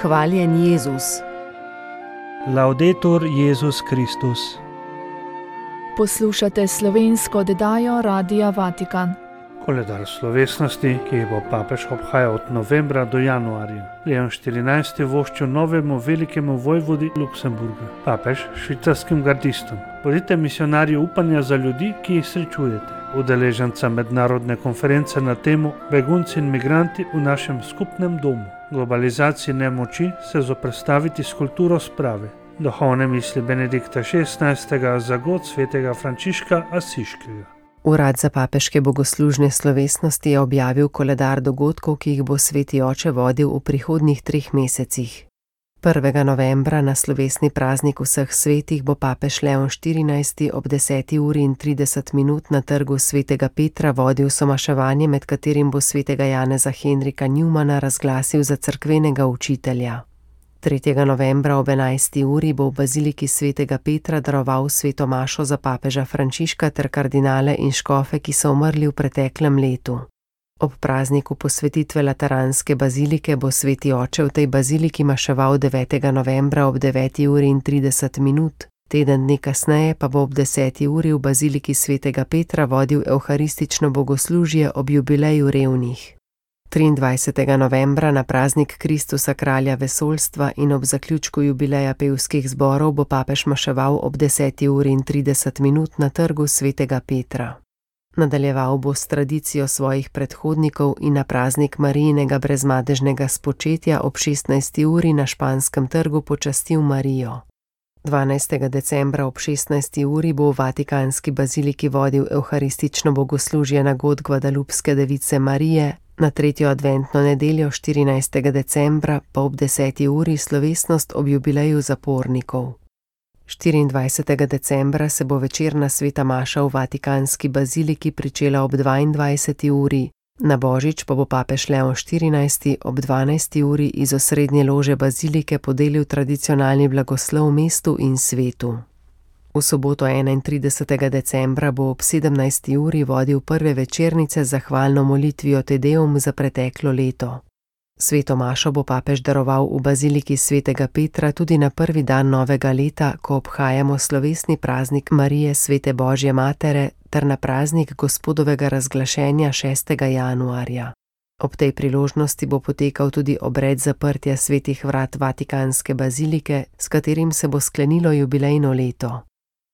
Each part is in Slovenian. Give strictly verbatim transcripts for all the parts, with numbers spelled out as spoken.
Hvaljen Jezus. Laudetur Jezus Kristus. Poslušate slovensko oddajo Radia Vatikan. Koledar slovesnosti, ki jih bo papež obhajal od novembra do januarja. Leon štirinajsti voščil novemu velikemu vojvodi Luksemburga, papež švicarskim gardistom. Bodite misionarji upanja za ljudi, ki jih srečujete. Udeleženca mednarodne konference na temo Begunci in migranti v našem skupnem domu. Globalizaciji nemoči se zoperstaviti s kulturo sprave. Duhovne misli Benedikta šestnajstega za god svetega Frančiška Asiškega. Urad za papeške bogoslužne slovesnosti je objavil koledar dogodkov, ki jih bo sveti oče vodil v prihodnjih treh mesecih. prvega novembra na slovesni praznik vseh svetih bo papež Leon štirinajsti ob deseti uri in trideset minut na trgu svetega Petra vodil somaševanje, med katerim bo svetega Janeza Henrika Newmana razglasil za cerkvenega učitelja. tretjega novembra ob enajsti uri bo v baziliki svetega Petra daroval sveto mašo za papeža Frančiška ter kardinale in škofe, ki so umrli v preteklem letu. Ob prazniku posvetitve Lateranske bazilike bo sveti oče v tej baziliki maševal devetega novembra ob deveti uri in trideset minut, teden dni kasneje pa bo ob deseti uri v baziliki svetega Petra vodil evharistično bogoslužje ob jubileju revnih. triindvajsetega novembra na praznik Kristusa kralja vesoljstva in ob zaključku jubileja pevskih zborov bo papež maševal ob deseti uri in trideset minut na trgu svetega Petra. Nadaljeval bo s tradicijo svojih predhodnikov in na praznik Marijinega brezmadežnega spočetja ob šestnajsti uri na Španskem trgu počastil Marijo. dvanajstega decembra ob šestnajsti uri bo v Vatikanski baziliki vodil evharistično bogoslužje na god Gvadalupske device Marije, na tretjo adventno nedeljo štirinajstega decembra pa ob deseti uri slovesnost ob jubileju zapornikov. štiriindvajsetega decembra se bo večerna sveta maša v Vatikanski baziliki pričela ob dvaindvajseti uri, na božič pa bo papež Leon štirinajsti ob dvanajsti uri iz osrednje lože bazilike podelil tradicionalni blagoslov mestu in svetu. V soboto enaintridesetega decembra bo ob sedemnajsti uri vodil prve večernice z zahvalno molitvijo Te Deum za preteklo leto. Sveto mašo bo papež daroval v baziliki svetega Petra tudi na prvi dan novega leta, ko obhajamo slovesni praznik Marije svete Božje matere ter na praznik Gospodovega razglašenja šestega januarja. Ob tej priložnosti bo potekal tudi obred zaprtja svetih vrat Vatikanske bazilike, s katerim se bo sklenilo jubilejno leto.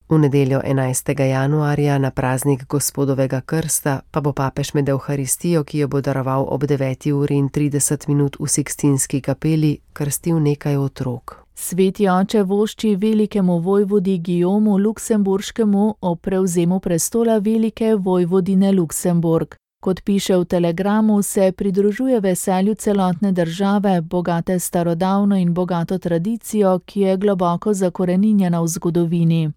V nedeljo enajstega januarja na praznik Gospodovega krsta pa bo papež med evharistijo, ki jo bo daroval ob deveti uri in trideset minut v Sikstinski kapeli, krstil nekaj otrok. Sveti oče vošči velikemu vojvodi Gijomu Luksemburškemu ob prevzemu prestola velike vojvodine Luksemburg. Kot piše v telegramu, se pridružuje veselju celotne države, bogate starodavno in bogato tradicijo, ki je globoko zakoreninjena v zgodovini.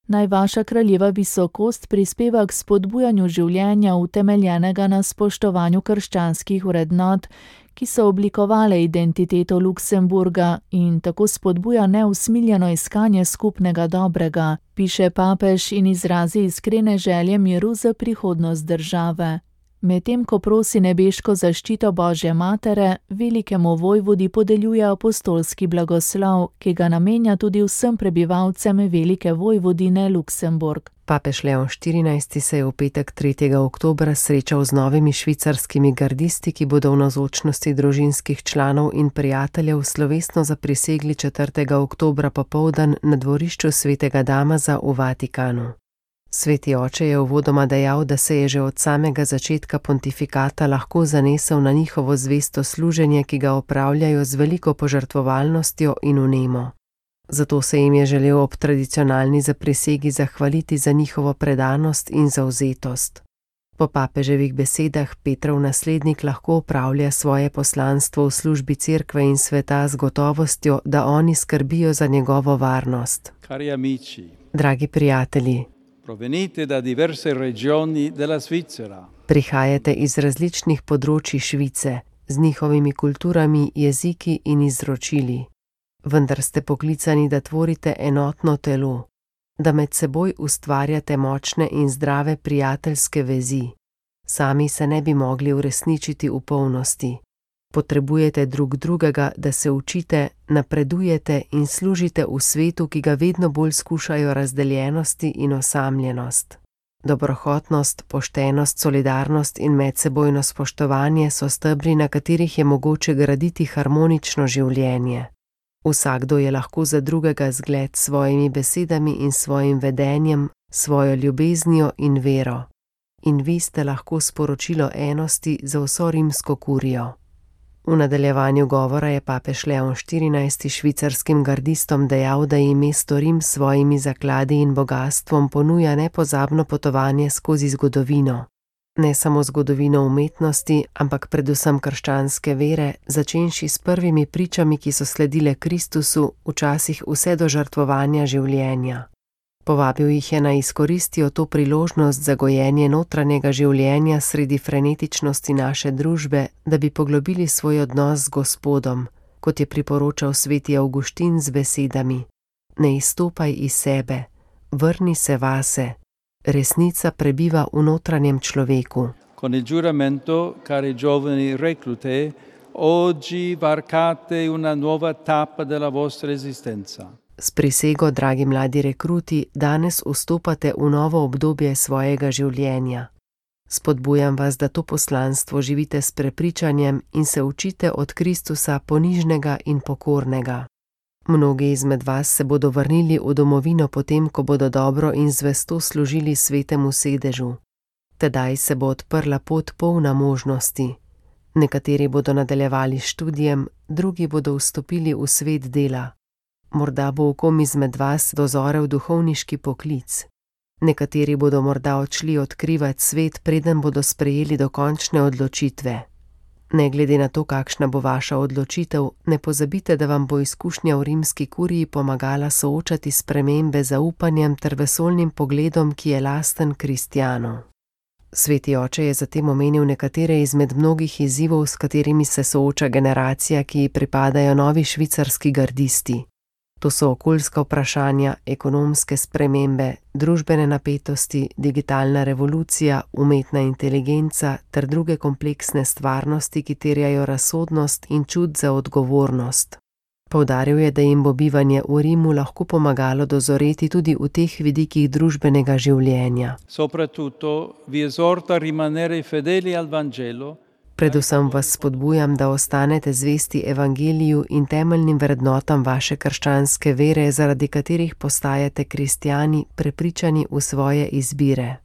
Naj vaša kraljeva visokost prispeva k spodbujanju življenja utemeljenega na spoštovanju krščanskih vrednot, ki so oblikovale identiteto Luksemburga in tako spodbuja neusmiljeno iskanje skupnega dobrega, piše papež in izrazi iskrene želje miru za prihodnost države. Medtem ko prosi nebeško zaščito Božje matere, velikemu vojvodi podeljuje apostolski blagoslov, ki ga namenja tudi vsem prebivalcem velike vojvodine Luksemburg. Papež Leon štirinajsti se je v petek tretjega oktobra srečal z novimi švicarskimi gardisti, ki bodo v navzočnosti družinskih članov in prijateljev slovesno zaprisegli četrtega oktobra popoldan na dvorišču svetega Damaza v Vatikanu. Sveti oče je uvodoma dejal, da se je že od samega začetka pontifikata lahko zanesel na njihovo zvesto služenje, ki ga opravljajo z veliko požrtvovalnostjo in vnemo. Zato se jim je želel ob tradicionalni zaprisegi zahvaliti za njihovo predanost in zavzetost. Po papeževih besedah Petrov naslednik lahko opravlja svoje poslanstvo v službi cerkve in sveta z gotovostjo, da oni skrbijo za njegovo varnost. Cari amici, dragi prijatelji, provenite da diverse regioni della Svizzera. Prihajate iz različnih področji Švice, z njihovimi kulturami, jeziki in izročili. Vendar ste poklicani, da tvorite enotno telo, da med seboj ustvarjate močne in zdrave prijateljske vezi. Sami se ne bi mogli uresničiti v polnosti. Potrebujete drug drugega, da se učite, napredujete in služite v svetu, ki ga vedno bolj skušajo razdeljenosti in osamljenost. Dobrohotnost, poštenost, solidarnost in medsebojno spoštovanje so stebri, na katerih je mogoče graditi harmonično življenje. Vsakdo je lahko za drugega zgled s svojimi besedami in svojim vedenjem, svojo ljubeznijo in vero. In vi ste lahko sporočilo enosti za vso rimsko kurijo. V nadaljevanju govora je papež Leon štirinajsti švicarskim gardistom dejal, da jim mesto Rim s svojimi zakladi in bogastvom ponuja nepozabno potovanje skozi zgodovino. Ne samo zgodovino umetnosti, ampak predvsem krščanske vere, začenši s prvimi pričami, ki so sledile Kristusu, včasih vse do žrtvovanja življenja. Povabil jih je naj izkoristijo to priložnost za gojenje notranjega življenja sredi frenetičnosti naše družbe, da bi poglobili svoj odnos z Gospodom, kot je priporočal sveti Avguštin z besedami: Ne izstopaj iz sebe, vrni se vase, resnica prebiva v notranjem človeku. Con il giuramento, cari giovani reclute, oggi varcate una nuova tappa della vostra esistenza. S prisego, dragi mladi rekruti, danes vstopate v novo obdobje svojega življenja. Spodbujam vas, da to poslanstvo živite s prepričanjem in se učite od Kristusa ponižnega in pokornega. Mnogi izmed vas se bodo vrnili v domovino potem, ko bodo dobro in zvesto služili svetemu sedežu. Tedaj se bo odprla pot polna možnosti. Nekateri bodo nadaljevali s študijem, drugi bodo vstopili v svet dela. Morda bo v kom izmed vas dozorel duhovniški poklic. Nekateri bodo morda odšli odkrivati svet, preden bodo sprejeli dokončne odločitve. Ne glede na to, kakšna bo vaša odločitev, ne pozabite, da vam bo izkušnja v rimski kuriji pomagala soočati spremembe z zaupanjem ter vesoljnim pogledom, ki je lasten kristjanu. Sveti oče je zatem omenil nekatere izmed mnogih izzivov, s katerimi se sooča generacija, ki ji pripadajo novi švicarski gardisti. To so okoljska vprašanja, ekonomske spremembe, družbene napetosti, digitalna revolucija, umetna inteligenca ter druge kompleksne stvarnosti, ki terjajo razsodnost in čut za odgovornost. Poudaril je, da jim bo bivanje v Rimu lahko pomagalo dozoreti tudi v teh vidikih družbenega življenja. Soprattutto vi esorta a rimanere fedeli al Vangelo. Predvsem vas spodbujam, da ostanete zvesti evangeliju in temeljnim vrednotam vaše krščanske vere, zaradi katerih postajate kristjani, prepričani v svoje izbire.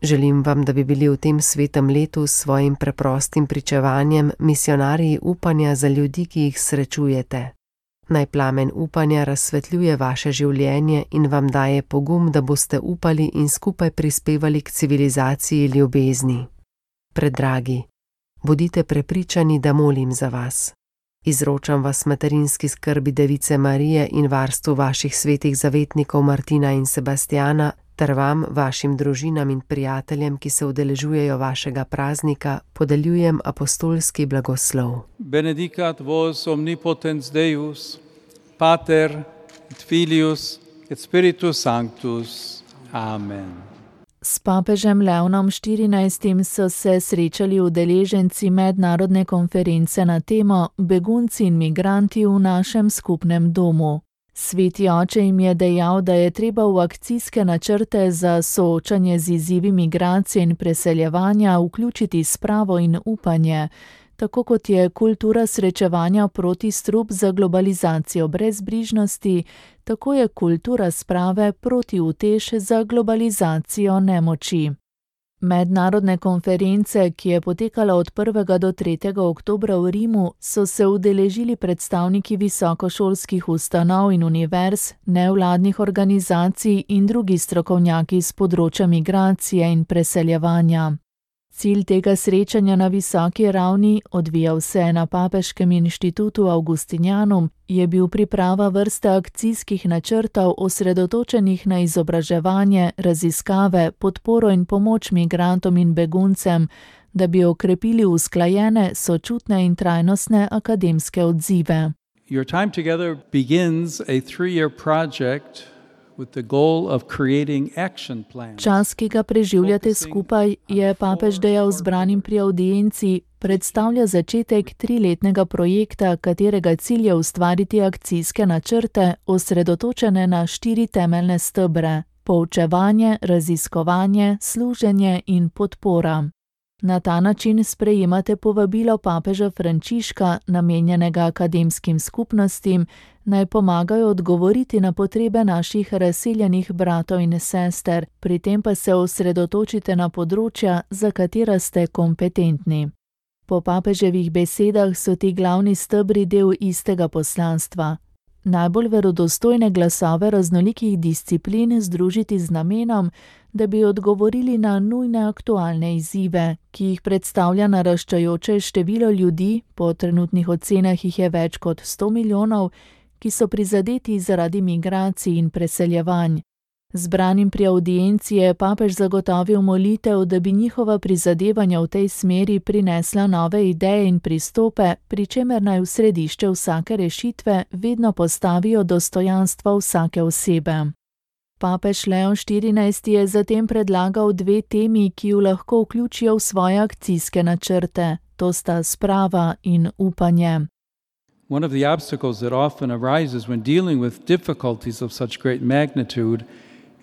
Želim vam, da bi bili v tem svetem letu s svojim preprostim pričevanjem misionarji upanja za ljudi, ki jih srečujete. Naj plamen upanja razsvetljuje vaše življenje in vam daje pogum, da boste upali in skupaj prispevali k civilizaciji ljubezni. Predragi, bodite prepričani, da molim za vas. Izročam vas materinski skrbi Device Marije in varstvu vaših svetih zavetnikov Martina in Sebastjana, ter vam, vašim družinam in prijateljem, ki se udeležujejo vašega praznika, podeljujem apostolski blagoslov. Benedicat vos omnipotens Deus, Pater et Filius et Spiritus Sanctus. Amen. S papežem Leonom štirinajstim so se srečali udeleženci mednarodne konference na temo Begunci in migranti v našem skupnem domu. Sveti oče jim je dejal, da je treba v akcijske načrte za soočanje z izzivi migracije in preseljevanja vključiti spravo in upanje, tako kot je kultura srečevanja proti strup za globalizacijo brezbrižnosti, tako je kultura sprave proti utež za globalizacijo nemoči. Mednarodne konference, ki je potekala od prvega do tretjega oktobra v Rimu, so se udeležili predstavniki visokošolskih ustanov in univerz, nevladnih organizacij in drugi strokovnjaki z področja migracije in preseljevanja. Cilj tega srečanja na visoki ravni, odvijal se je na Papeškem inštitutu Augustinianum, je bil priprava vrste akcijskih načrtov osredotočenih na izobraževanje, raziskave, podporo in pomoč migrantom in beguncem, da bi okrepili usklajene, sočutne in trajnostne akademske odzive. Your time together begins a three-year project Čas, ki ga preživljate skupaj, je papež dejal zbranim pri avdienci, predstavlja začetek triletnega projekta, katerega cilj je ustvariti akcijske načrte, osredotočene na štiri temeljne stebre: poučevanje, raziskovanje, služenje in podpora. Na ta način sprejemate povabilo papeža Frančiška, namenjenega akademskim skupnostim, naj pomagajo odgovoriti na potrebe naših razseljenih bratov in sester, pri tem pa se osredotočite na področja, za katera ste kompetentni. Po papeževih besedah so ti glavni stebri del istega poslanstva. Najbolj verodostojne glasove raznolikih disciplin združiti z namenom, da bi odgovorili na nujne aktualne izzive, ki jih predstavlja naraščajoče število ljudi, po trenutnih ocenah jih je več kot sto milijonov, ki so prizadeti zaradi migracij in preseljevanj. Zbranim pri avdienci je papež zagotovil molitev, da bi njihova prizadevanja v tej smeri prinesla nove ideje in pristope, pri čemer naj v središče vsake rešitve vedno postavijo dostojanstvo vsake osebe. Papež Leon štirinajsti je zatem predlagal dve temi, ki ju lahko vključijo v svoje akcijske načrte, to sta sprava in upanje. One of the obstacles that often arises when dealing with difficulties of such great magnitude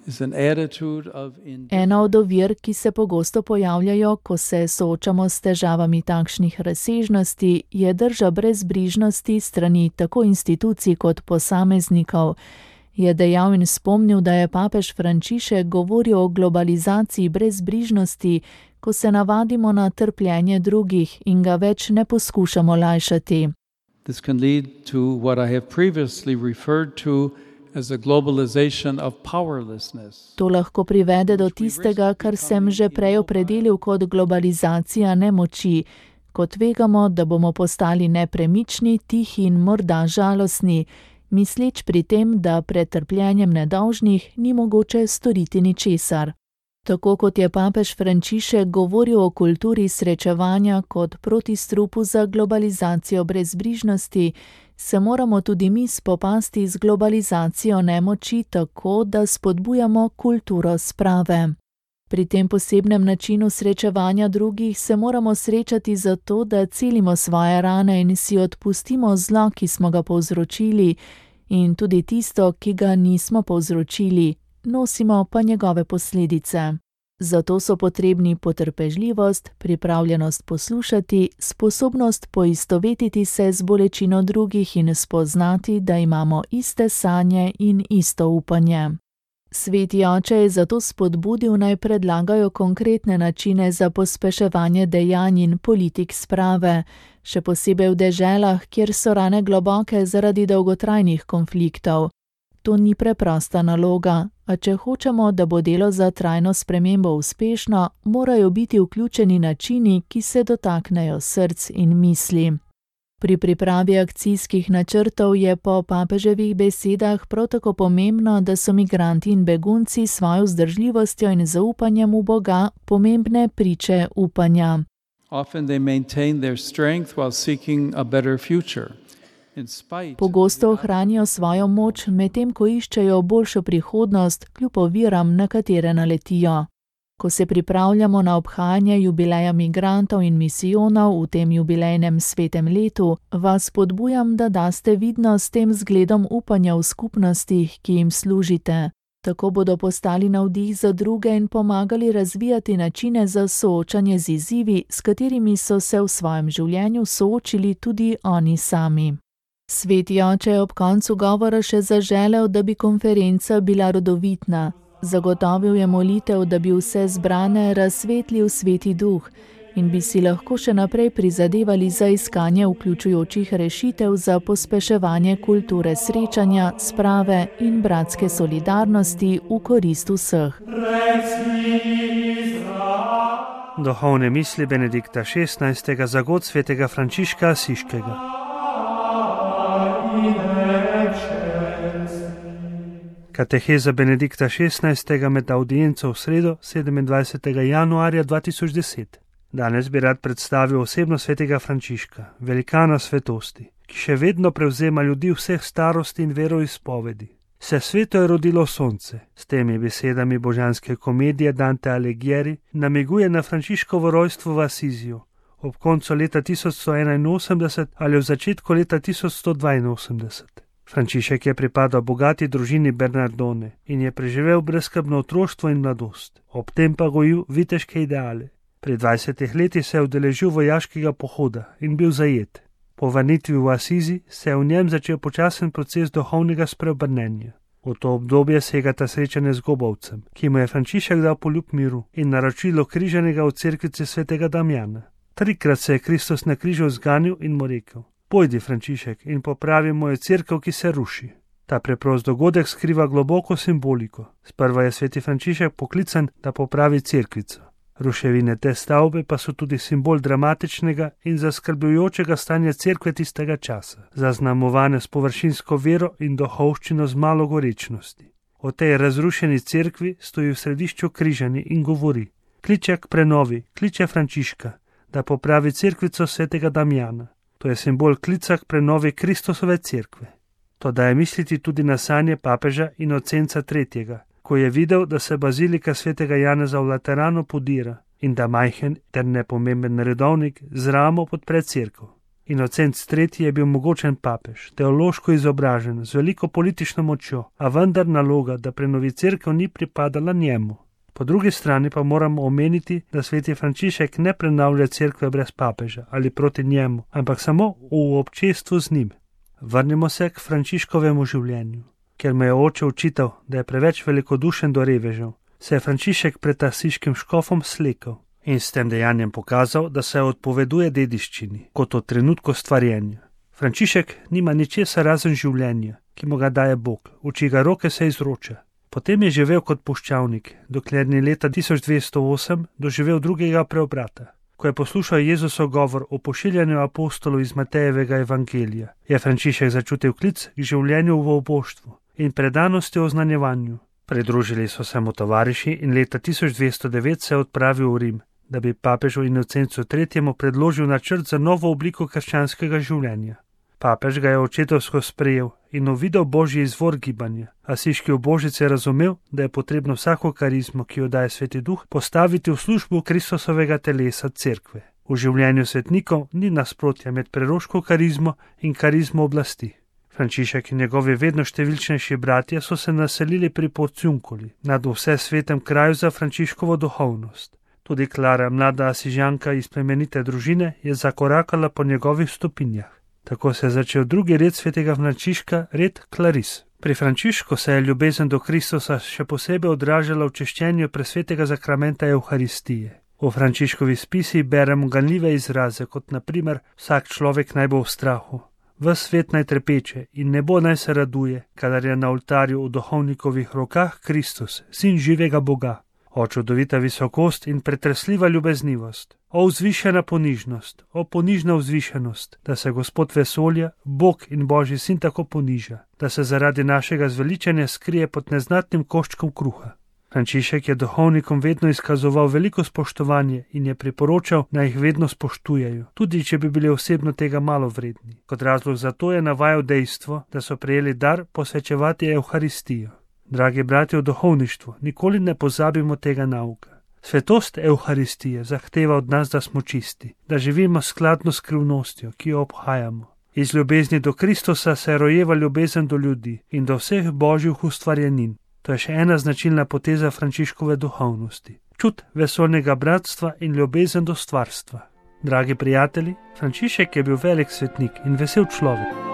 is an attitude of Ena od ovir, ki se pogosto pojavljajo, ko se soočamo s težavami takšnih razsežnosti, je drža brezbrižnosti strani tako institucij kot posameznikov, je dejal in spomnil, da je papež Frančišek govoril o globalizaciji brezbrižnosti, ko se navadimo na trpljenje drugih in ga več ne poskušamo lajšati. This can lead to what I have previously referred to as a globalization of powerlessness. To lahko privede do tistega, kar sem že prej opredelil kot globalizacija nemoči, ko tvegamo, da bomo postali nepremični, tihi in morda žalostni, misleč pri tem, da pred trpljenjem nedolžnih ni mogoče storiti ničesar. Tako kot je papež Frančišek govoril o kulturi srečevanja kot protistrupu za globalizacijo brezbrižnosti, se moramo tudi mi spopasti z globalizacijo nemoči tako, da spodbujamo kulturo sprave. Pri tem posebnem načinu srečevanja drugih se moramo srečati zato, da celimo svoje rane in si odpustimo zlo, ki smo ga povzročili, in tudi tisto, ki ga nismo povzročili, nosimo pa njegove posledice. Zato so potrebni potrpežljivost, pripravljenost poslušati, sposobnost poistovetiti se z bolečino drugih in spoznati, da imamo iste sanje in isto upanje. Sveti oče je zato spodbudil, naj predlagajo konkretne načine za pospeševanje dejanj in politik sprave, še posebej v deželah, kjer so rane globoke zaradi dolgotrajnih konfliktov. To ni preprosta naloga, a če hočemo, da bo delo za trajno spremembo uspešno, morajo biti vključeni načini, ki se dotaknejo src in misli. Pri pripravi akcijskih načrtov je po papeževih besedah prav tako pomembno, da so migranti in begunci s svojo vzdržljivostjo in zaupanjem v Boga pomembne priče upanja. Often they maintain their strength while seeking a better future. Pogosto ohranijo svojo moč, medtem ko iščejo boljšo prihodnost, kljub oviram, na katere naletijo. Ko se pripravljamo na obhajanje jubileja migrantov in misijonov v tem jubilejnem svetem letu, vas spodbujam, da daste vidnost s tem zgledom upanja v skupnostih, ki jim služite. Tako bodo postali navdih za druge in pomagali razvijati načine za soočanje z izzivi, s katerimi so se v svojem življenju soočili tudi oni sami. Sveti oče je ob koncu govora še zaželel, da bi konferenca bila rodovitna. Zagotovil je molitev, da bi vse zbrane razsvetlil Sveti Duh in bi si lahko še naprej prizadevali za iskanje vključujočih rešitev za pospeševanje kulture srečanja, sprave in bratske solidarnosti v korist vseh. Duhovne misli Benedikta šestnajstega za god svetega Frančiška Asiškega. Kateheza Benedikta šestnajstega med audienco v sredo sedemindvajsetega januarja dva tisoč deset. Danes bi rad predstavil osebno svetega Frančiška, velikana svetosti, ki še vedno prevzema ljudi vseh starosti in veroizpovedi. Se sveto je rodilo sonce. S temi besedami božanske komedije Dante Alighieri namiguje na Frančiškovo rojstvo v Asiziju ob koncu leta tisoč sto enainosemdeset ali v začetku leta tisoč sto dvainosemdeset. Frančišek je pripadal bogati družini Bernardone in je preživel brezskrbno otroštvo in mladost, ob tem pa gojil viteške ideale. Pri dvajsetih letih se je udeležil vojaškega pohoda in bil zajet. Po vrnitvi v Asizi se je v njem začel počasen proces duhovnega spreobrnenja. V to obdobje segata srečanje z Gobovcem, ki mu je Frančišek dal poljub miru in naročilo križanega v cerkvici svetega Damjana. Trikrat se je Kristus na križu zganil in mu rekel: Pojdi, Frančišek, in popravi mojo cerkev, ki se ruši. Ta preprost dogodek skriva globoko simboliko. Sprva je sveti Frančišek poklican, da popravi cerkvico. Ruševine te stavbe pa so tudi simbol dramatičnega in zaskrbljujočega stanja cerkve tistega časa, zaznamovane s površinsko vero in duhovščino z malo gorečnosti. O tej razrušeni cerkvi stoji v središču križani in govori: kliče k prenovi, kliče Frančiška, da popravi cerkvico svetega Damjana. To je simbol klica k prenovi Kristusove cerkve. To daje misliti tudi na sanje papeža Inocenca tretjega, ko je videl, da se bazilika svetega Janeza v Lateranu podira in da majhen ter nepomemben redovnik z ramo podpre cerkev. Inocenc tretji je bil mogočen papež, teološko izobražen, z veliko politično močjo, a vendar naloga, da prenovi cerkev, ni pripadala njemu. Po drugi strani pa moramo omeniti, da sveti Frančišek ne prenavlja cerkve brez papeža ali proti njemu, ampak samo v občestvu z njim. Vrnimo se k Frančiškovemu življenju. Ker me je oče učital, da je preveč velikodušen do revežev, se je Frančišek pred asiškim škofom slekel in s tem dejanjem pokazal, da se odpoveduje dediščini, kot od trenutku stvarjenja. Frančišek nima ničesar razen življenja, ki mu ga daje Bog, v čigar roke se izroča. Potem je živel kot puščavnik, dokler ni leta tisoč dvesto osem doživel drugega preobrata. Ko je poslušal Jezusov govor o pošiljanju apostolov iz Matejevega evangelija, je Frančišek začutil klic k življenju v oboštvu in predanosti o znanjevanju. Pridružili so se mu tovariši in leta tisoč dvesto devet se je odpravil v Rim, da bi papežu Inocencu tretjemu predložil načrt za novo obliko krščanskega življenja. Papež ga je očetovsko sprejel in uvidel božji izvor gibanja. Asiški ubožec je razumel, da je potrebno vsako karizmo, ki jo daje Sveti Duh, postaviti v službo Kristusovega telesa cerkve. V življenju svetnikov ni nasprotja med preroško karizmo in karizmo oblasti. Frančišek in njegovi vedno številčnejši bratje so se naselili pri Porciunkuli, nad vse svetem kraju za Frančiškovo duhovnost. Tudi Klara, mlada asižanka iz plemenite družine, je zakorakala po njegovih stopinjah. Tako se je začel drugi red svetega Frančiška, red Klaris. Pri Frančišku se je ljubezen do Kristusa še posebej odražala v češčenju presvetega zakramenta Evharistije. V Frančiškovi spisi beremo ganljive izraze, kot na primer: vsak človek naj bo v strahu, ves svet naj trepeče in nebo naj se raduje, kadar je na oltarju v duhovnikovih rokah Kristus, sin živega Boga. O čudovita visokost in pretresljiva ljubeznivost, o vzvišena ponižnost, o ponižna vzvišenost, da se Gospod vesolja, Bog in Božji sin tako poniža, da se zaradi našega zveličanja skrije pod neznatnim koščkom kruha. Frančišek je duhovnikom vedno izkazoval veliko spoštovanje in je priporočal, naj jih vedno spoštujejo, tudi če bi bili osebno tega malo vredni. Kot razlog za to je navajal dejstvo, da so prejeli dar posvečevati Evharistijo. Dragi bratje v duhovništvu, nikoli ne pozabimo tega nauka. Svetost Evharistije zahteva od nas, da smo čisti, da živimo skladno s skrivnostjo, ki jo obhajamo. Iz ljubezni do Kristusa se rojeva ljubezen do ljudi in do vseh božjih ustvarjenin. To je še ena značilna poteza Frančiškove duhovnosti. Čut vesolnega bratstva in ljubezen do stvarstva. Dragi prijatelji, Frančišek je bil velik svetnik in vesel človek.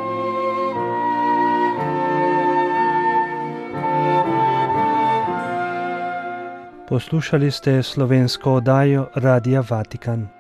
Poslušali ste slovensko oddajo Radia Vatikan.